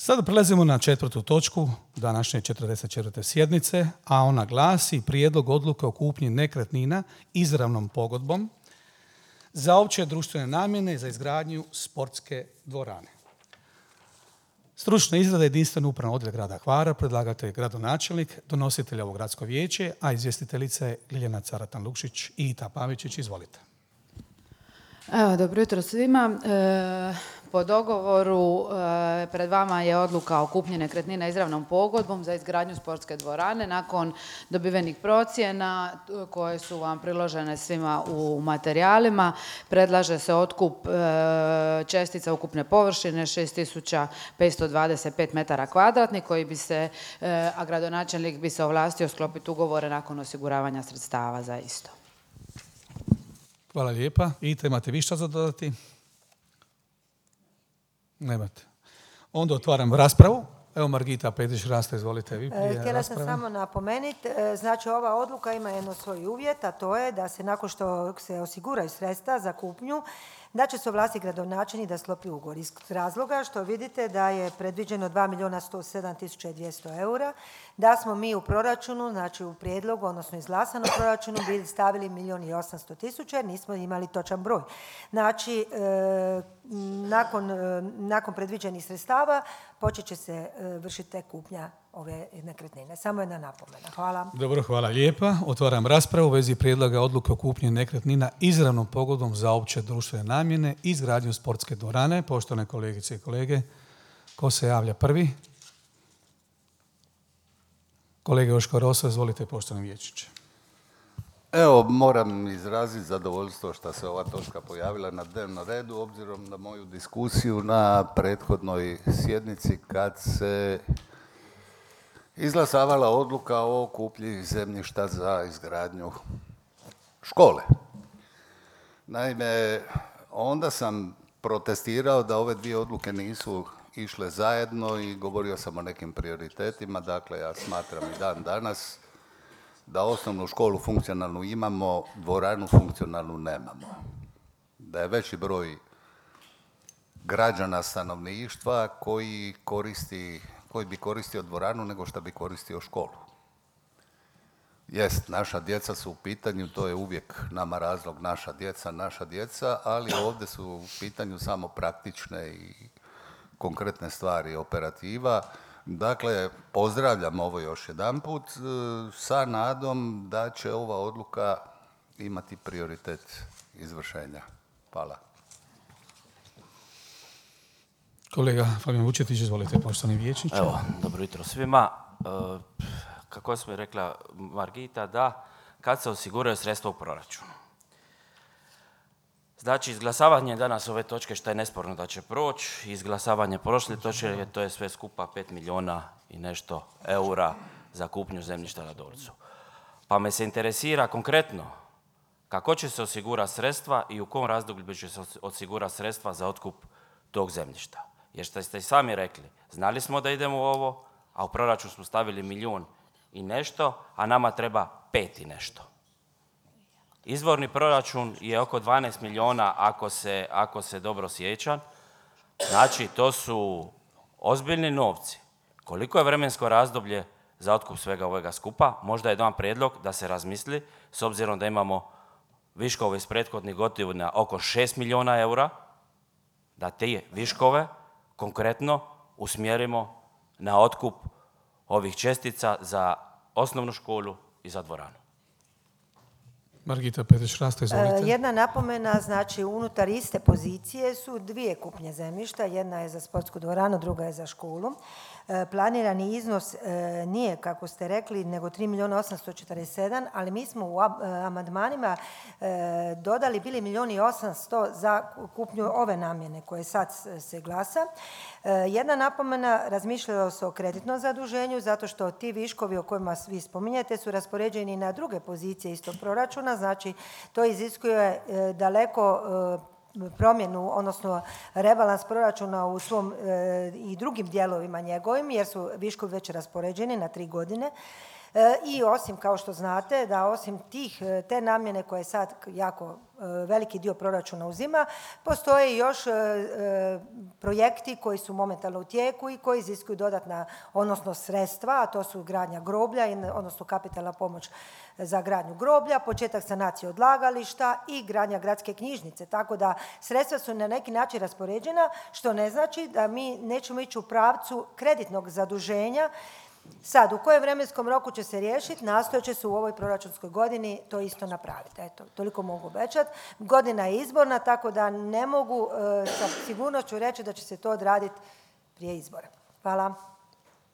Sada prelazimo na 4. točku današnje 44. sjednice, a ona glasi prijedlog odluke o kupnji nekretnina izravnom pogodbom za opće društvene namjene za izgradnju sportske dvorane. Stručna izrada jedinstveno upravno odjel grada Hvara, predlagatelj je gradonačelnik, donositelj ovo gradsko vijeće, a izvjestiteljica je Ljiljana Caratan-Lukšić i Ita Pavičić. Izvolite. Evo, dobro jutro svima. Po dogovoru pred vama je odluka o kupnji nekretnina izravnom pogodbom za izgradnju sportske dvorane. Nakon dobivenih procjena koje su vam priložene svima u materijalima, predlaže se otkup čestica ukupne površine 6525 metara kvadratnih koji bi se, a gradonačelnik bi se ovlastio sklopiti ugovore nakon osiguravanja sredstava za isto. Hvala lijepa. Ita, imate vi šta za dodati? Nemate. Onda otvaram raspravu. Evo Margita Petić-Rasta, izvolite vi prije Htjela sam rasprave. samo napomenuti, znači ova odluka ima jedno svoj uvjet, a to je da se nakon što se osiguraju sredstva za kupnju, da će se ovlastiti gradonačelnik da sklopi ugovor. Iz razloga što vidite da je predviđeno 2.107.200 eura, da smo mi u proračunu, znači u prijedlogu, odnosno izglasanom proračunu, bili stavili 1.800.000 jer nismo imali točan broj. Znači, nakon predviđenih sredstava počet će se vršiti tek kupnja ove nekretnine. Samo jedna napomena. Hvala. Dobro, hvala lijepa. Otvaram raspravu u vezi prijedloga odluke o kupnji nekretnina izravnom pogodbom za opće društvene namjene i izgradnju sportske dvorane. Poštovane kolegice i kolege, ko se javlja prvi? Kolega Joško Rosa, izvolite, poštovani vijećniče. Evo, moram izraziti zadovoljstvo što se ova točka pojavila na dnevnom redu, obzirom na moju diskusiju na prethodnoj sjednici kad se izglasavala odluka o kupnji zemljišta za izgradnju škole. Naime, onda sam protestirao da ove dvije odluke nisu išle zajedno i govorio sam o nekim prioritetima. Dakle, ja smatram i dan danas da osnovnu školu funkcionalnu imamo, dvoranu funkcionalnu nemamo. Da je veći broj građana stanovništva koji bi koristio dvoranu nego što bi koristio školu. Jest, naša djeca su u pitanju, to je uvijek nama razlog naša djeca, ali ovdje su u pitanju samo praktične i konkretne stvari, operativa. Dakle, pozdravljam ovo još jedanput sa nadom da će ova odluka imati prioritet izvršenja. Hvala. Kolega Fabijan Vučetić, izvolite, poštovani vijećniče. Evo, dobro jutro svima. Kako smo rekla Margita, da kad se osiguraju sredstva u proračunu. Znači, izglasavanje danas ove točke, što je nesporno da će proći, izglasavanje prošle točke, to je sve skupa 5 milijuna i nešto eura za kupnju zemljišta na Dolcu. Pa me se interesira konkretno kako će se osigurati sredstva i u kom razdoblju će se osigurati sredstva za otkup tog zemljišta. Jer što ste i sami rekli, znali smo da idemo u ovo, a u proračun smo stavili 1 milijun i nešto, a nama treba 5 i nešto. Izvorni proračun je oko 12 milijuna ako se dobro sjećam. Znači, to su ozbiljni novci. Koliko je vremensko razdoblje za otkup svega ovoga skupa? Možda je dan prijedlog da se razmisli, s obzirom da imamo viškove iz prethodnih godina oko 6 milijuna eura, da te viškove konkretno usmjerimo na otkup ovih čestica za osnovnu školu i za dvoranu. Margita Petić-Rasta, izvolite. Jedna napomena, znači unutar iste pozicije su dvije kupnje zemljišta, jedna je za sportsku dvoranu, druga je za školu. Planirani iznos nije, kako ste rekli, nego 3.847.000, ali mi smo u amandmanima dodali bili 1.800.000 za kupnju ove namjene koje sad se glasa. Jedna napomena, razmišljalo se o kreditnom zaduženju zato što ti viškovi o kojima vi spominjete su raspoređeni na druge pozicije istog proračuna, znači to iziskuje daleko promjenu, odnosno rebalans proračuna u svom i drugim dijelovima njegovim, jer su viškovi već raspoređeni na 3 godine. I osim, kao što znate, da osim te namjene koje sad jako veliki dio proračuna uzima, postoje još projekti koji su momentalno u tijeku i koji iziskuju dodatna, odnosno sredstva, a to su gradnja groblja, odnosno kapitalna pomoć za gradnju groblja, početak sanacije odlagališta i gradnja gradske knjižnice. Tako da sredstva su na neki način raspoređena, što ne znači da mi nećemo ići u pravcu kreditnog zaduženja. Sad, u kojem vremenskom roku će se riješiti, nastojat će se u ovoj proračunskoj godini to isto napraviti. Eto, toliko mogu obećati. Godina je izborna, tako da ne mogu sa sigurnošću reći da će se to odraditi prije izbora. Hvala.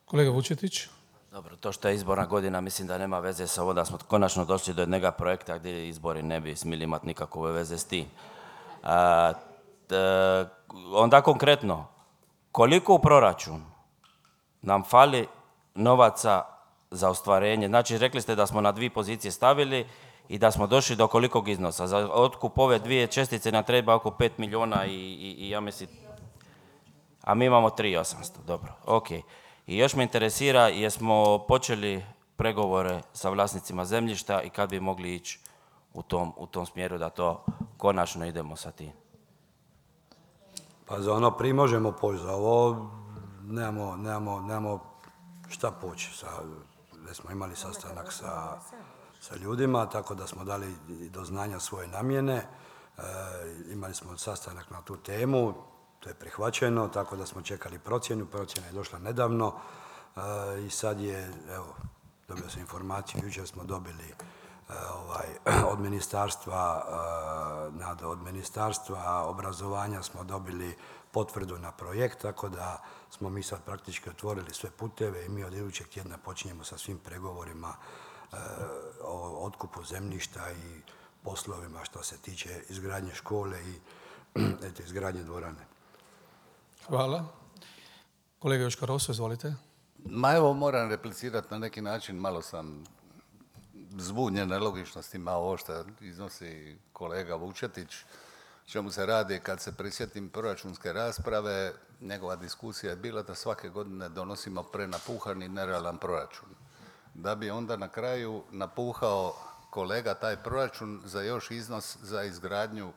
Kolega Vučetić. Dobro, to što je izborna godina, mislim da nema veze sa ovo da smo konačno došli do jednog projekta gdje izbori ne bi smjeli imati nikakve veze s tim. Onda konkretno, koliko u proračun nam fali novaca za ostvarenje? Znači, rekli ste da smo na 2 pozicije stavili i da smo došli do kolikog iznosa. Za otkup ove 2 čestice nam treba oko 5 milijuna i ja mislim... A mi imamo 3.800, dobro, ok. I još me interesira, jesmo počeli pregovore sa vlasnicima zemljišta i kad bi mogli ići u tom smjeru da to konačno idemo sa tim? Pa za ono prije možemo poći, za ovo nemamo šta poći. Već smo imali sastanak sa ljudima, tako da smo dali do znanja svoje namjene. Imali smo sastanak na tu temu, to je prihvaćeno, tako da smo čekali procjenu. Procjena je došla nedavno i sad je, evo, dobio sam informaciju, jučer smo dobili od ministarstva obrazovanja smo dobili potvrdu na projekt, tako da smo mi sad praktički otvorili sve puteve i mi od idućeg tjedna počinjemo sa svim pregovorima o otkupu zemljišta i poslovima što se tiče izgradnje škole i izgradnje dvorane. Hvala. Kolega Joško Roso, izvolite. Ma evo, moram replicirati na neki način, malo sam zbunjen nelogičnostima ovo što iznosi kolega Vučetić. Čemu se radi, kad se prisjetim proračunske rasprave, njegova diskusija je bila da svake godine donosimo prenapuhani nerealan proračun. Da bi onda na kraju napuhao kolega taj proračun za još iznos za izgradnju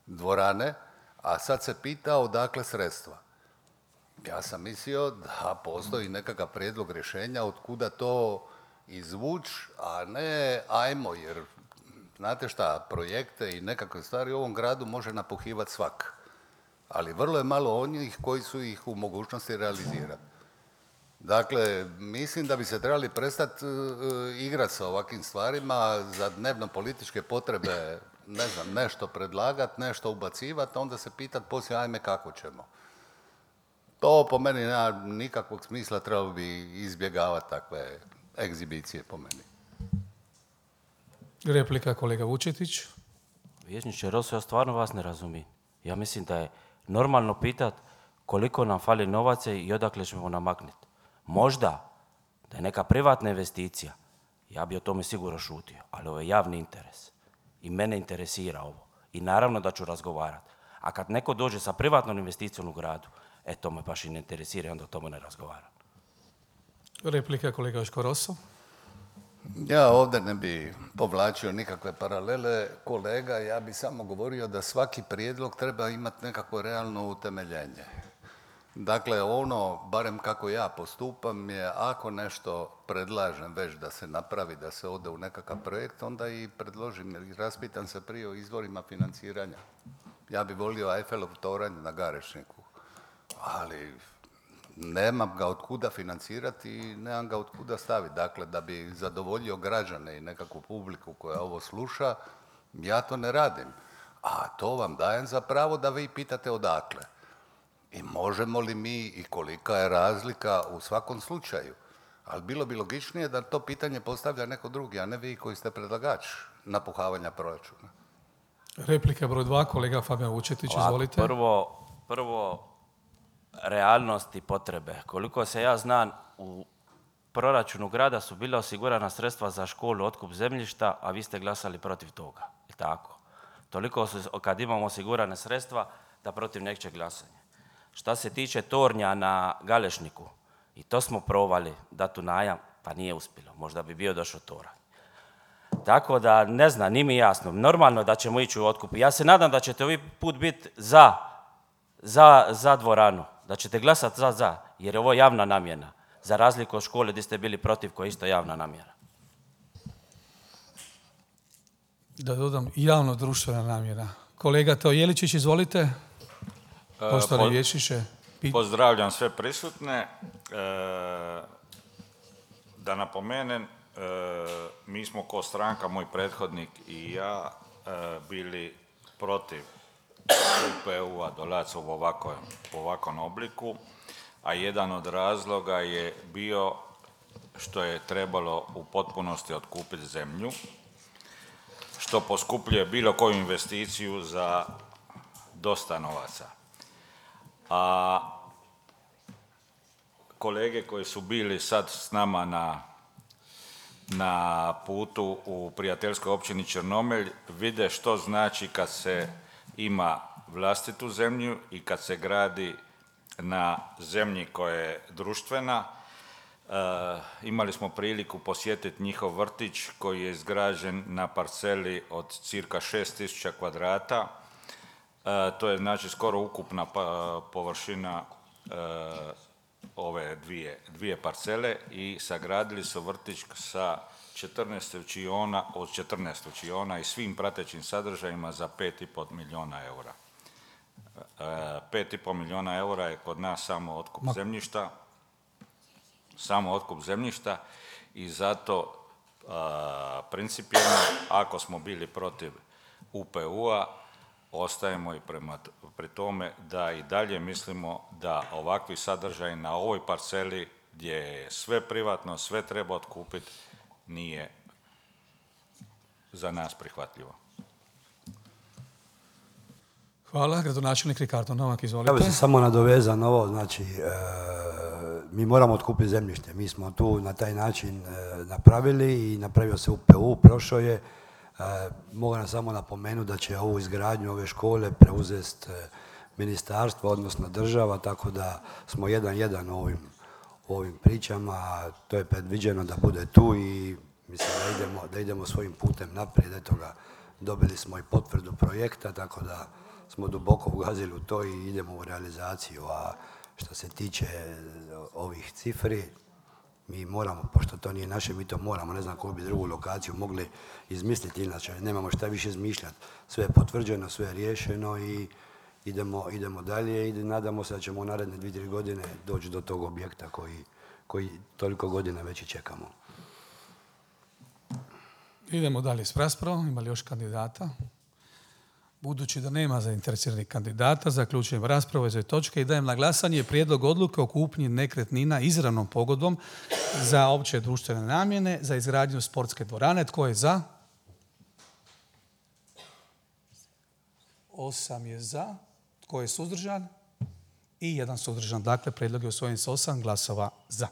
dvorane, a sad se pitao odakle sredstva. Ja sam mislio da postoji nekakav prijedlog rješenja od kuda to izvući, a ne ajmo, jer znate šta, projekte i nekakve stvari u ovom gradu može napuhivati svak. Ali vrlo je malo onih koji su ih u mogućnosti realizirati. Dakle, mislim da bi se trebali prestati igrati sa ovakvim stvarima za dnevno političke potrebe, ne znam, nešto predlagati, nešto ubacivati, onda se pitati poslije ajme kako ćemo. To po meni nema nikakvog smisla, trebalo bi izbjegavati takve egzibicije po meni. Replika kolega Vučetić. Vijećniče Roso, ja stvarno vas ne razumijem. Ja mislim da je normalno pitat koliko nam fali novaca i odakle ćemo namaknuti. Možda da je neka privatna investicija, ja bi o tome sigurno šutio, ali ovo je javni interes. I mene interesira ovo. I naravno da ću razgovarati. A kad neko dođe sa privatnom investicijom u gradu, to me baš i ne interesira i onda o tome ne razgovaram. Replika kolega Joško Roso. Ja ovdje ne bi povlačio nikakve paralele kolega, ja bi samo govorio da svaki prijedlog treba imati nekako realno utemeljenje. Dakle, ono, barem kako ja postupam, je ako nešto predlažem već da se napravi, da se ode u nekakav projekt, onda i predložim i raspitam se prije o izvorima financiranja. Ja bi volio Eiffelov toranj na Garešniku, ali nemam ga od kuda financirati i nemam ga od kuda staviti. Dakle, da bi zadovoljio građane i nekakvu publiku koja ovo sluša, ja to ne radim. A to vam dajem za pravo da vi pitate odakle. I možemo li mi i kolika je razlika u svakom slučaju. Ali bilo bi logičnije da to pitanje postavlja neko drugi, a ne vi koji ste predlagač napuhavanja proračuna. Replika broj 2, kolega Fabijan Vučetić, izvolite. Prvo, realnost i potrebe. Koliko se ja znam, u proračunu grada su bila osigurana sredstva za školu, otkup zemljišta, a vi ste glasali protiv toga. Je tako? Toliko su, kad imamo osigurane sredstva, da protiv nečeg glasanje. Šta se tiče tornja na Galešniku, i to smo probali dati u najam, pa nije uspjelo. Možda bi bio došao toranj. Tako da, ne znam, nije mi jasno. Normalno da ćemo ići u otkup. Ja se nadam da ćete ovaj put biti za dvoranu. Da ćete glasati za, jer je ovo javna namjena. Za razliku od škole gdje ste bili protiv, koja je isto javna namjera. Da dodam, javno društvena namjera. Kolega Teo Jeličić, izvolite. Poštovani vijećniče. Pozdravljam sve prisutne. Da napomenem, mi smo ko stranka, moj prethodnik i ja, bili protiv UPU-a dolac u ovakvom obliku, a jedan od razloga je bio što je trebalo u potpunosti otkupiti zemlju, što poskupljuje bilo koju investiciju za dosta novaca. A kolege koji su bili sad s nama na putu u prijateljskoj općini Črnomelj vide što znači kad se ima vlastitu zemlju i kad se gradi na zemlji koja je društvena. Imali smo priliku posjetiti njihov vrtić koji je izgrađen na parceli od cirka 6000 kvadrata. To je znači skoro ukupna površina ove dvije parcele i sagradili su vrtić sa 14 učiona, od 14 učiona i svim pratećim sadržajima za 5,5 milijuna eura. 5,5 milijuna eura je kod nas samo otkup zemljišta i zato principijelno, ako smo bili protiv UPU-a, ostajemo i pri tome da i dalje mislimo da ovakvi sadržaj na ovoj parceli gdje je sve privatno, sve treba otkupiti, nije za nas prihvatljivo. Hvala. Gradonačelnik Ricardo Novak, izvolite. Ja bih se samo nadovezao na ovo, znači, mi moramo otkupiti zemljište. Mi smo tu na taj način napravili i napravio se UPU, prošao je. Mogu samo napomenuti da će ovu izgradnju ove škole preuzeti ministarstvo, odnosno država, tako da smo 1:1 u ovim pričama. To je predviđeno da bude tu i mislim da idemo svojim putem naprijed. Eto ga, dobili smo i potvrdu projekta, tako da smo duboko ugazili u to i idemo u realizaciju. A što se tiče ovih cifri, mi moramo, pošto to nije naše, mi to moramo, ne znam koju bi drugu lokaciju mogli izmisliti, inače nemamo šta više izmišljati. Sve je potvrđeno, sve je riješeno i idemo dalje i nadamo se da ćemo u naredne 2-3 godine doći do tog objekta koji toliko godina već i čekamo. Idemo dalje s raspravom. Ima li još kandidata? Budući da nema zainteresiranih kandidata, zaključujem raspravu iz ove točke i dajem na glasanje prijedlog odluke o kupnji nekretnina izravnom pogodbom za opće društvene namjene za izgradnju sportske dvorane. Tko je za? 8 je za. Tko je suzdržan? I 1 suzdržan. Dakle, prijedlog je usvojen s 8 glasova za.